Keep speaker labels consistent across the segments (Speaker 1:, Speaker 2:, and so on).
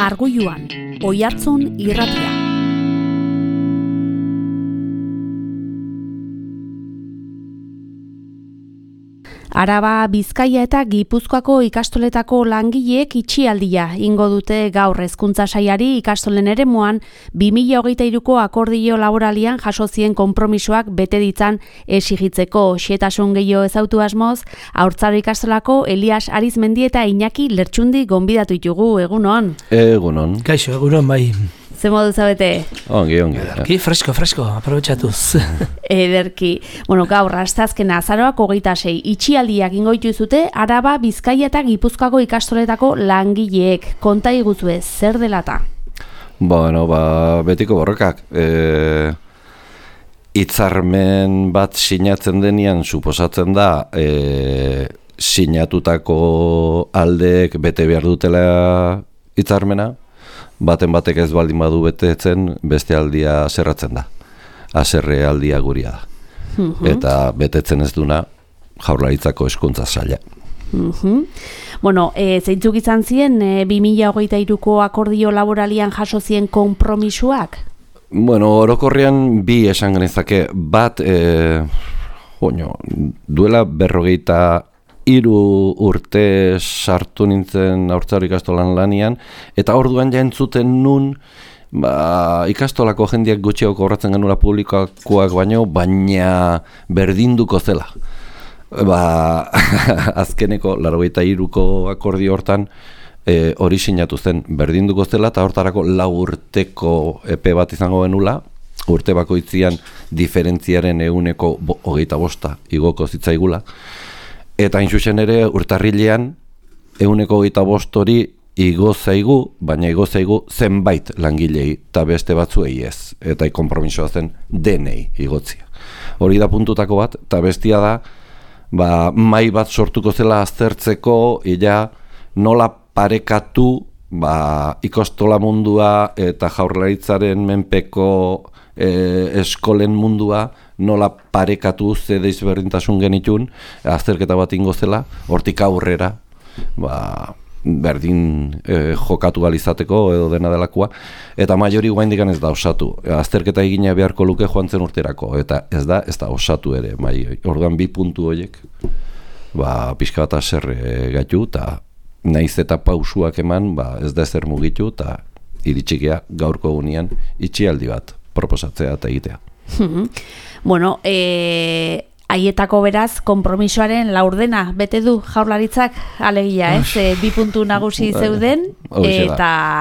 Speaker 1: Arguiluan, Oihartzun irratia. Araba, Bizkaia eta Gipuzkoako ikastoletako langileek itxialdia ingo dute gaur hezkuntza sailari ikastolen eremuan 2023ko akordio laboralian jaso zien konpromisoak bete ditzan exigitzeko. Xehetasun gehiago ezautu asmoz, Haurtzaro ikastolako Elias Arizmendi eta Iñaki Lertxundi gonbidatu ditugu. Egunon.
Speaker 2: Egunon.
Speaker 3: Kaixo, egunon bai.
Speaker 1: Ze modu zabete?
Speaker 2: Ongi.
Speaker 3: Ederki, fresko, aprobetxatuz.
Speaker 1: Ederki. Gaur, asteazkena azaroak 26 itxialdiak ingoitu zute Araba, Bizkaia eta Gipuzkoako ikastoletako langileek. Konta iguzue, zer delata?
Speaker 2: Betiko borrokak. Hitzarmen bat sinatzen denean suposatzen da sinatutako aldeek bete behar dutela hitzarmena. Baten batek ez baldin badu betetzen, beste aldia zerratzen da. Haserre aldia guria da. Eta betetzen ez duna Jaurlaritzako hezkuntza saila.
Speaker 1: Zeintzuk izan ziren 2023ko akordio laboralian jaso zien konpromisoak?
Speaker 2: Orokorrean bi esan genezake. Bat, duela 43 urte sartu nintzen Haurtzaro ikastolan lanian, eta orduan ja entzuten nun ikastolako jendeak gutxiago kobratzen genula publikoakoak baina berdinduko zela. Azkeneko 83ko akordio hortan hori sinatu zen berdinduko zela, eta hortarako 4 urteko epe bat izango genula, urte bakoitzian diferentziaren 25% igoko zitzaigula. Eta inxusen ere urtarrilean 25% hori igo zaigu, baina igo zaigu zenbait langilei eta beste batzuei ez. Eta konpromisoa zen denei igotzia. Hori da puntutako bat, eta bestia da, mai bat sortuko zela aztertzeko, nola parekatu ikastola mundua eta Jaurlaritzaren menpeko eskolen mundua, nola parekatu ze desberdintasun genitun, azterketa bat ingo zela, hortik aurrera, berdin jokatu izateko edo dena delakoa, eta maiori guaindikan ez da osatu. Azterketa egina beharko luke joan zen urterako, eta ez da osatu ere, orduan 2 puntu horiek, pixka bat haserre gaitu, eta naiz eta pausuak eman, ez da ezer mugitu, eta iritsikea gaurko egunean itxialdi bat proposatzea eta egitea.
Speaker 1: Haietako beraz, konpromisoaren laurdena bete du Jaurlaritzak, alegia, ez? 2 puntu nagusi zeuden, eta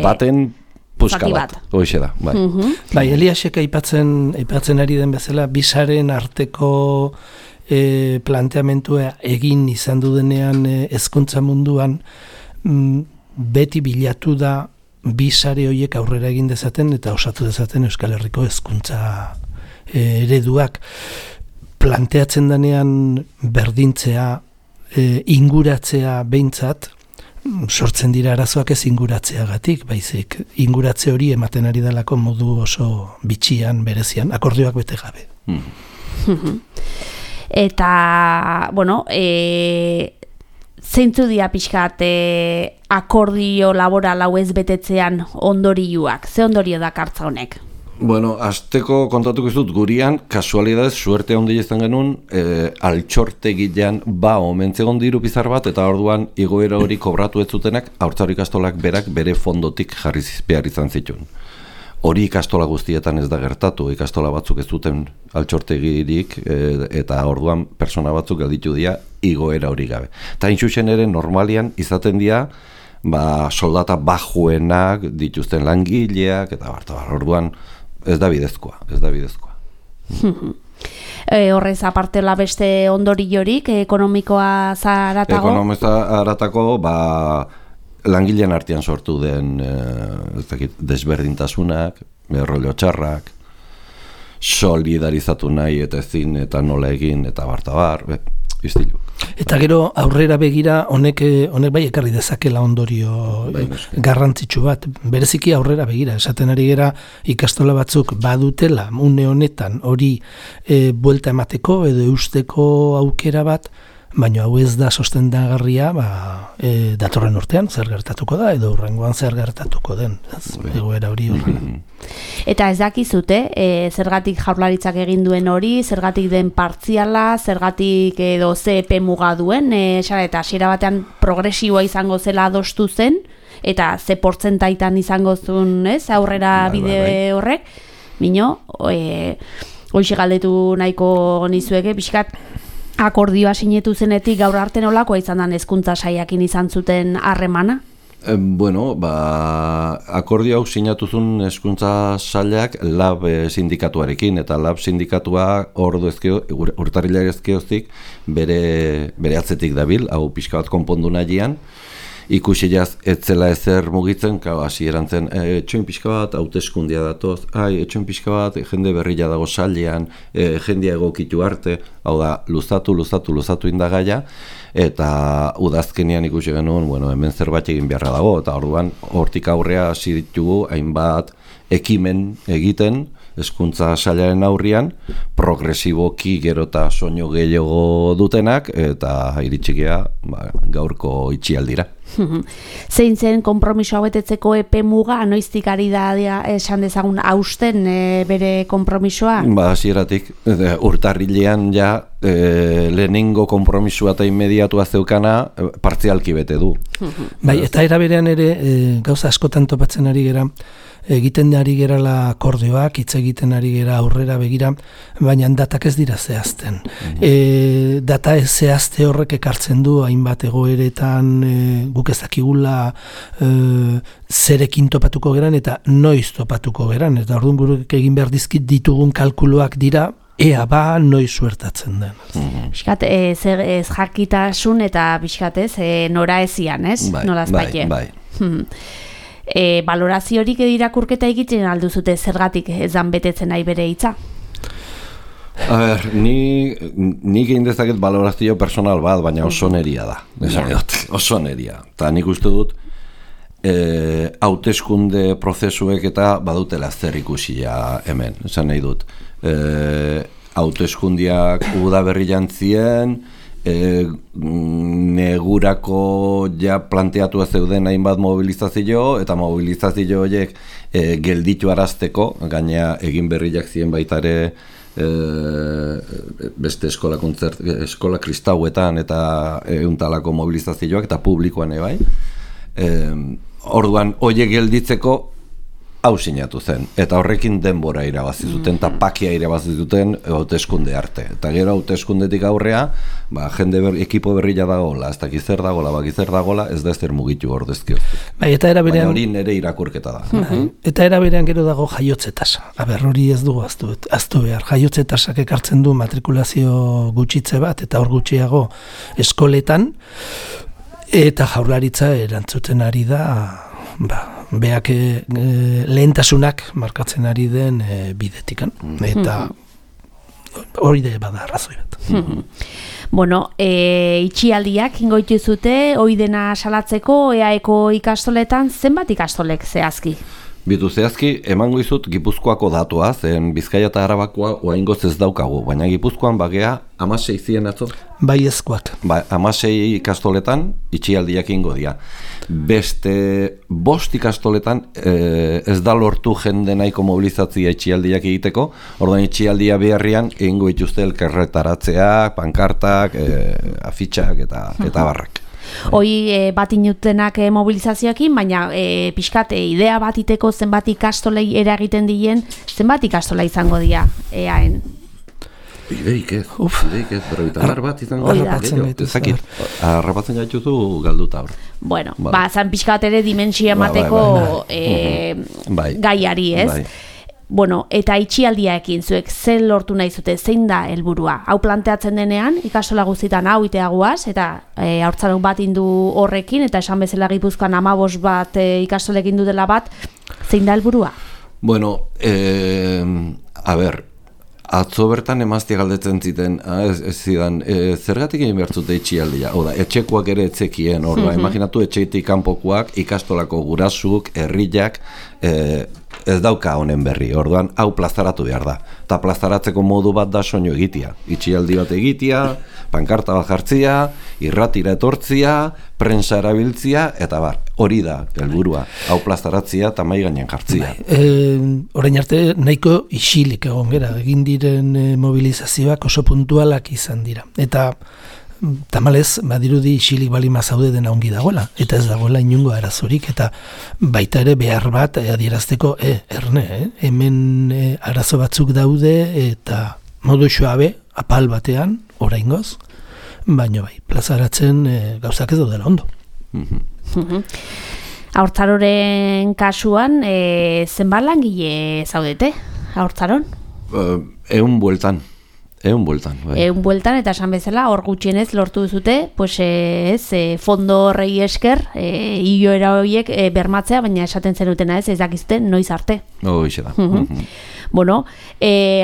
Speaker 2: baten puska bat. Hoxe da, bai.
Speaker 3: Eliasek aipatzen ari den bezala, bisaren arteko planteamentua egin izan dudenean hezkuntza munduan, beti bilatu da bisare horiek aurrera egin dezaten eta osatu dezaten Euskal Herriko hezkuntza ereduak. Planteatzen denean berdintzea, inguratzea behintzat, sortzen dira arazoak ez inguratzeagatik, baizik inguratze hori ematen ari dalako modu oso bitxian, berezian, akordioak bete gabe.
Speaker 1: Eta, zeintzu dira pixkat akordio laboral hau ez betetzean ondorioak? Ze ondorio dakartza honek?
Speaker 2: Azteko kontatuko ez dut, gurian, kasualidadez, suerte handi izan genuen, altxortegilean omentzegon diru pizar bat, eta orduan igoera hori kobratu ez zutenak, Haurtzaro ikastolak berak bere fondotik jarri behar izan zituen. Hori ikastola guztietan ez da gertatu, ikastola batzuk ez duten altxortegirik, eta orduan persona batzuk gelditu dira igoera hori gabe. Eta intxusen ere normalian izaten dira, soldata bajuenak dituzten langileak, eta orduan ez da bidezkoa.
Speaker 1: Horrez apartela beste ondoriorik, ekonomikoa zaratago?
Speaker 2: Ekonomikoa zaratako, langileen artean sortu den desberdintasunak, rollo txarrak, solidarizatu nahi eta ezin eta nola egin eta bartabar, iztilu.
Speaker 3: Eta gero aurrera begira honek bai ekarri dezakela ondorio garrantzitsu bat, bereziki aurrera begira, esaten ari gera ikastola batzuk badutela une honetan hori buelta emateko edo eusteko aukera bat, baina hau ez da sostengagarria datorren urtean zer gertatuko da, edo hurrengoan zer gertatuko den, egoera hori horren.
Speaker 1: Eta ez dakizute, zergatik Jaurlaritzak egin duen hori, zergatik den partziala, zergatik edo ze epe muga duen, eta hasiera batean progresiboa izango zela adostu zen, eta ze portzentaitan izango zuen, aurrera bide horrek, mino, hoxe galdetu nahiko nizueke, pixkat, akordioa sinetu zenetik gaur arte nolakoa izan den hezkuntza saiakin izan zuten harremana?
Speaker 2: Akordio hau sinatu zuen hezkuntza sailak LAB sindikatuarekin, eta LAB sindikatua urtarrilak ezkeoztik bere atzetik dabil, hau pixka bat konpondu nahian, ikusi jaz etzela ezer mugitzen, hasi erantzen, etxoin pixka bat, hauteskundia datoz, etxoin pixka bat, jende berrila dago sailean, jendea egokitu arte, hau da, luzatu indagaia, eta udazkenean ikusi genuen, hemen zerbait egin beharra dago, eta orduan hortik aurrea hasi ditugu hainbat ekimen egiten, hezkuntza sailaren aurrian, progresiboki gero eta soinu gehiago dutenak, eta iritsikea gaurko itxialdira.
Speaker 1: Zein zen konpromisoa betetzeko epe muga, noiztik ari da esan dezagun hausten bere konpromisoa?
Speaker 2: Hasieratik, urtarrilean ja lehenengo konpromisoa eta inmediatua zeukana partzialki bete du.
Speaker 3: Bai, eta era berean ere gauza askotan topatzen ari gera, egiten ari gerala akordioak, hitz egiten ari gera aurrera begira, baina datak ez dira zehazten. Data ez zehazte horrek ekartzen du hainbat egoeretan guk ez dakigula zerekin topatuko geran eta noiz topatuko geran, eta orduan guruk egin behar dizkit ditugun kalkuluak dira ea noiz suertatzen den.
Speaker 1: Piskat, ez jakitasun eta piskat ez, nora ezian, ez? Nolaz baite.
Speaker 2: Bai.
Speaker 1: Baloraziorik edo irakurketa egiten alduzute zergatik ezan betetzen nahi bere hitza?
Speaker 2: A ber, nik egin dezaket balorazio personal bat, baina oso neria da. Oso neria. Eta nik uste dut, hauteskunde prozesuek eta badutela zer ikusia hemen. Esan nahi dut. Hauteskundiak udaberri jantzien, negurako ja planteatu zeuden hainbat mobilizazio, eta mobilizazio horiek gelditu arazteko, gaina egin berriak ziren baitare beste eskola kristauetan eta euntalako mobilizazioak eta publikoan bai. Orduan, horiek gelditzeko hau sinatu zen, eta horrekin denbora irabazi zuten, eta pakia irabazi zuten hauteskunde arte. Eta gero hauteskundetik aurrea, ekipo berrila dagoela, ez dakiz zer dagoela, ez da ez zer mugitu ordezkio. Baina hori nire irakurketa da.
Speaker 3: Eta era berean gero dago jaiotze tasa. Hori ez dugu aztu behar. Jaiotze tasak ekartzen du matrikulazio gutxitze bat, eta hor gutxiago eskoletan, eta Jaurlaritza erantzuten ari da, beak lehentasunak markatzen ari den bidetikan, eta hori de bada arrazoi bat.
Speaker 1: Itxialdiak ingoitu zute, hori dena salatzeko EAEko ikastoletan, zenbat ikastolek zehazki?
Speaker 2: Bitu zehazki, emango izut Gipuzkoako datua, zen Bizkaia eta Arabakoa oaingoz ez daukagu, baina Gipuzkoan bagea 16 zien atzo?
Speaker 3: Bai ezkoak.
Speaker 2: 16 ikastoletan itxialdiak ingo dira. Beste 5 ikastoletan ez da lortu jende nahiko mobilizatzia itxialdiak egiteko, orduan itxialdia beharrian egingo ituzte elkarretaratzeak, pankartak, afitxak eta barrak.
Speaker 1: Hoi bat inutenak mobilizazioekin, baina pixkat idea bat iteko zenbat ikastolei eragiten dien, zenbat ikastola izango dira EAen?
Speaker 2: Ideik ez, bat izango dira. Harrapatzen gaituzu galduta hor.
Speaker 1: Zan pixkat ere dimensia emateko gaiari, ez? Eta itxialdiaekin zuek zen lortu nahi zute, zein da helburua? Hau planteatzen denean, ikastola guztietan hau iteaguaz, eta haurtzarok bat indu horrekin, eta esan bezala Gipuzkoan 15 bat ikastolekin du dela bat, zein da helburua?
Speaker 2: Atzo bertan emaztia galdetzen ziten, zidan, zergatik egin behar zute itxialdia? Etxekoak ere etzekien, imaginatu etxeetik kanpokoak, ikastolako gurasuk, herriak, ez dauka honen berri, orduan hau plazaratu behar da. Eta plazaratzeko modu bat da soinu egitea. Itxialdi bat egitea, pankarta bat jartzia, irratira etortzia, prensa erabiltzia, eta hori da helburua. Hau plazaratzia eta mai gainean jartzia.
Speaker 3: Orain arte nahiko isilik egon gera, egin diren mobilizazioak oso puntualak izan dira. Eta tamalez, badirudi isilik balima zaude dena ongi dagoela, eta ez dagoela inungo arazorik, eta baita ere behar bat adierazteko, hemen arazo batzuk daude, eta modu suabe, apal batean, oraingoz, baina bai, plazaratzen gauzak ez daudela ondo.
Speaker 1: Haurtzaroren kasuan, zenbat langile zaudete, haurtzaron?
Speaker 2: 100 bueltan. Bai.
Speaker 1: 100 bueltan, eta esan bezala, hor gutxienez lortu duzute, fondo horrei esker, iloera horiek bermatzea, baina esaten zenutena ez dakizte noiz arte.
Speaker 2: Hoxe da.
Speaker 1: Bueno,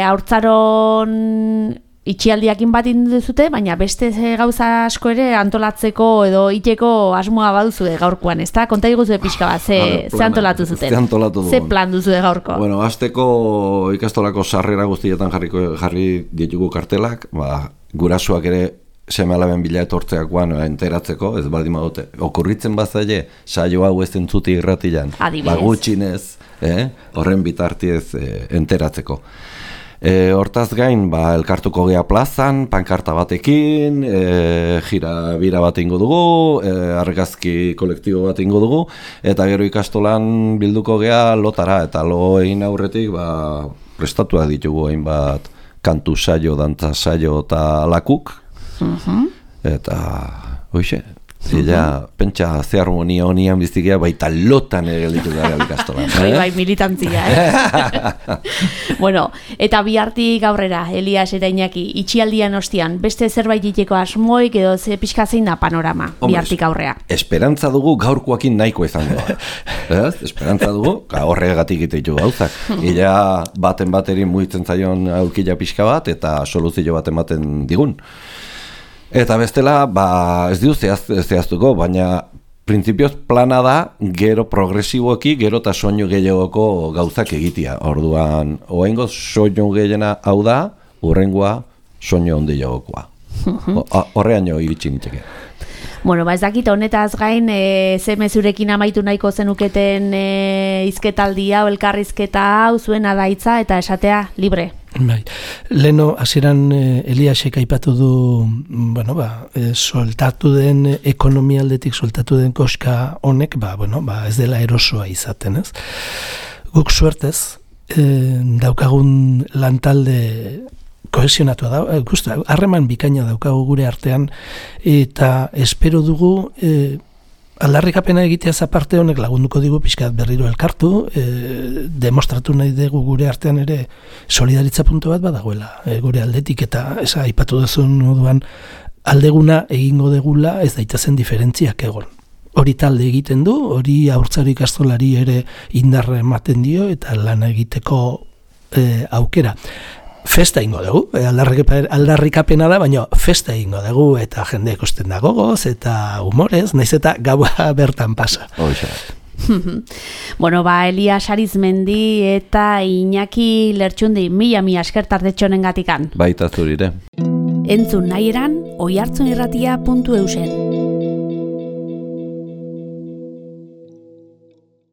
Speaker 1: haurtzaron itxialdiakin bat induzute, baina beste gauza asko ere antolatzeko edo iteko asmoa baduzue gaurkoan, ez da? Konta diguzue pixka bat, ze antolatu zuten? Ze plan duzue gaurko?
Speaker 2: Bueno, azteko ikastolako sarrera guztietan jarri ditugu kartelak, gurasuak ere seme-alaben bila etortzeakoan enteratzeko, ez baldin badute. Okurritzen bazaile, saio hau ez entzuti irratian, gutxinez, horren bitartiez enteratzeko. Hortaz gain, elkartuko gea plazan, pankarta batekin, bira bat ingo dugu, argazki kolektibo bat ingo dugu, eta gero ikastolan bilduko gea lotara, eta lo egin aurretik prestatuak ditugu hainbat kantu saio, dantza saio eta lakuk, eta hoxe. Ella pentsa ze harmonia honian bizikia baita lotan ere gelditu gara ikastolan.
Speaker 1: Bai, militantzia. Bueno, eta bihartik aurrera, Elias eta Iñaki, itxialdian ostian, beste zerbait iteko asmoik edo ze pixka zein da panorama bihartik aurrea?
Speaker 2: Esperantza dugu gaurkoakin nahiko izango da. Esperantza dugu, horregatik ite gauzak. Ella baten bateri mugitzen zaion aukila pixka bat eta soluzio bat ematen digun. Eta bestela, ez du zehaztuko, baina printzipioz plana da gero progresiboki, gero eta soinu gehiagoko gauzak egitea. Orduan, oaingo soinu gehiena hau da, urrengoa soinu handi jagokoa. Horreaino iritsi nintzeke.
Speaker 1: Bueno, ez dakit honetaz gain, ze mezurekin amaitu nahiko zenuketen hizketaldia o elkarrizketa hau zuen adaitza eta esatea libre.
Speaker 3: Bai, leno hasieran Eliasek aipatu du, soltatu den ekonomialdetik soltatu den koska honek, ez dela erosoa izaten, ez? Guk suertez, daukagun lantalde kohesionatua da, harreman bikaina daukagu gure artean, eta espero dugu aldarrikapena egitea aparte honek lagunduko digu pixkat berriro elkartu, demostratu nahi dugu gure artean ere solidaritza puntu bat badagoela gure aldetik, eta aipatu duzun moduan aldeguna egingo degula ez daitezen diferentziak egon. Hori talde egiten du, hori haurtzaro ikastolari ere indarra ematen dio eta lan egiteko aukera. Festa ingo dugu, aldarrikapena da, baina festa ingo dugu eta jende ikusten da gogoz eta humorez, naiz eta gaua bertan pasa.
Speaker 1: Bueno, Elias Arizmendi eta Iñaki Lertxundi, mila esker tardetxonen gatikan.
Speaker 2: Baita zurire.
Speaker 1: Entzun nahi eran, oihartzunirratia.eusen.